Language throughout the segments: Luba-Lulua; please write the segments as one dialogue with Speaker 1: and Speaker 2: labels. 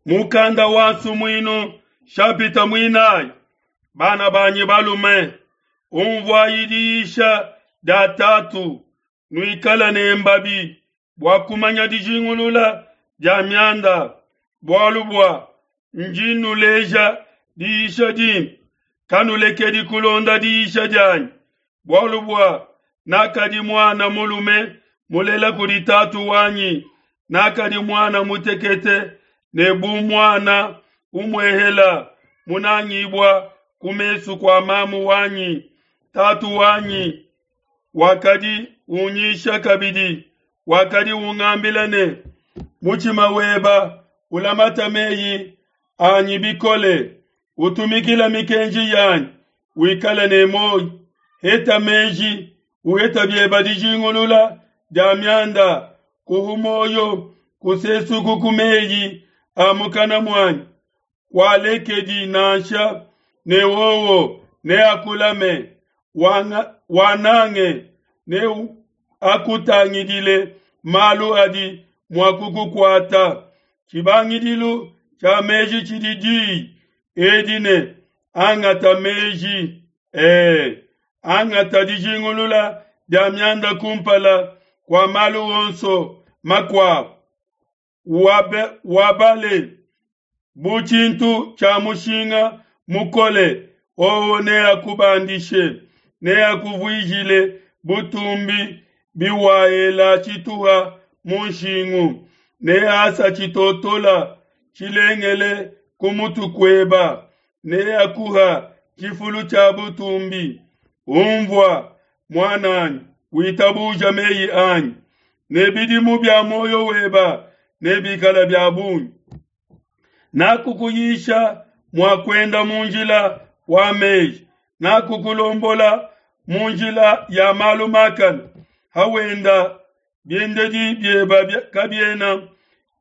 Speaker 1: Mukanda wa Nsumuinu shapita muinayi. Bana banyi balume, umvuayi diyisha dia tatu, nuikale ne mbabi bua kumanya dijingulula dia mianda, bualu bua ndi nnuleja diyisha dimpe. Kanulekedi kulonda diyisha dianyi, bualu bua nakadi muana mulume mulela kudi tatu wanyi, nakadi muana mutekete ne bu muana umuehela munangibua ku mesu kua mamu wanyi. Tatu wanyi wakadi unyisha kabidi, wakadi ungambila ne, mutshima weba ulamata meyi anyi bikole, utumikila mikenji yanyi, wikale ne muoyo. Heta meji, uheta bieba dijingulula dia mianda, kuhu muoyo, kusesuku ku meyi a mukana muanyi, kualekedi nansha, ne wowo neakulame, wanange ne akutangidile malu adi mua kukukuata. Tshibangidilu tshia meji tshidi diyi edi ne, angata meji, angata dijingulula dia mianda kumpala kua malu onso makuabu. Wabale bu tshintu tshia mushinga mukole, wowo neakubandishe, neakuvuijile butumbi biwaela tshituha mu nshingu, neasa tshitotola tshilengele ku mutu kueba, neakuha tshifulu tshia butumbi. Umvua, muananyi, witabuja meyi anyi, ne bidimu bia muoyo weba nebikala bia bungi. Nakukuyisha mua kuenda mu njila wa meji, nakukulombola mu njila ya malu makane. Hawenda biendedi bieba kabiena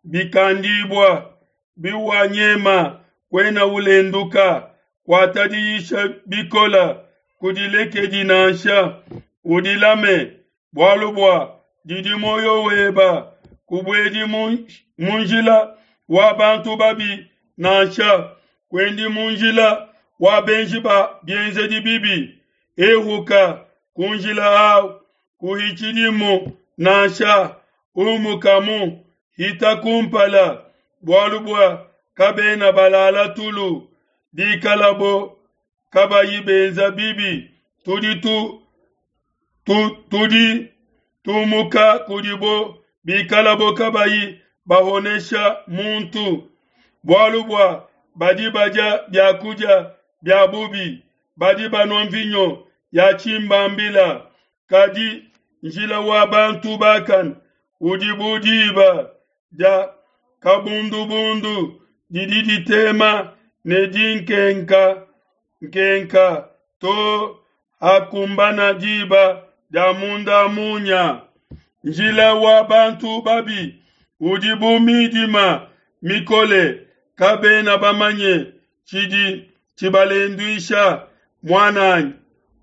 Speaker 1: bikandibua, biwanyema kuena ulenduka. Kuata diyisha bikola, kudilekedi nansha, udilame, bualu bua didi muoyo weba. Kubuedi mu njila wa bantu babi nansha, kuendi mu njila wa benji ba bienzedi bibi. Ehuka ku njila au, kuhitshidimu nansha, umukamu, hita kumpala, bualu bua kabena balala tulu, bikalabo kabayi benza bibi. Tudi tu, tu, tudi tumuka kudibo bikalabo kabayi bahonesha muntu, bualu bua badi badia biakudia bia bubi, badi banua mvinyo ya tshimbambila. Kadi njila wa bantu bakane udi bu diba dia kabundubundu didi ditema ne dinkenka nkenka to hakumbana diba dia munda munya. Njila wa bantu babi udi bu midima mikole, kabena bamanye tshidi tshibalenduisha. Muananyi,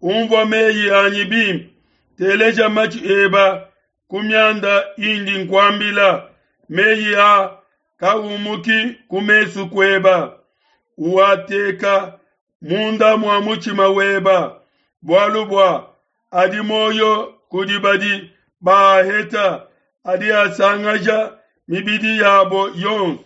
Speaker 1: umvua meyi anyi bimpe, teleja matshi eba ku mianda indi nkuambila. Meyi a kaumuki ku mesu kueba, uateka munda mua mutshima weba, bualu bua adi muoyo kudi badi baaheta, adi asangaja mibidi yabo yonso.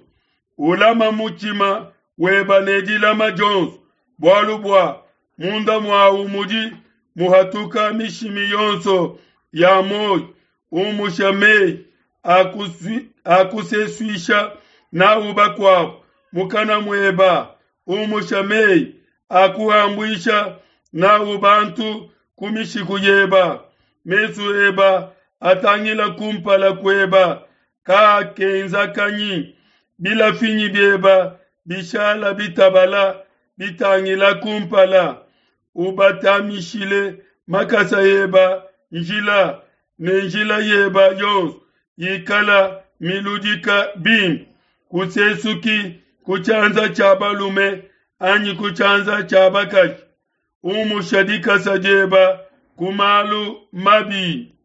Speaker 1: Ulama mutshima weba ne dilama dionso, bualu bua munda muawu mudi muhatuka mishimi yonso ya muoyo. Umusha meyi akusesuisha nawu bakuabo mukana mueba, umusha meyi akuhambuisha nawu bantu ku mishiku yeba. Mesu eba atangila kumpala kueba, kaakenzakanyi. Bilafinyi bieba bishala bitabala bitangila kumpala. Ubatamishile makasa eba njila, ne njila yeba yonso yikala miludika bimpe. Kusesuki ku tshianza tshia balume anyi ku tshianza tshia bakaji. Umusha dikasa dieba ku malu mabi.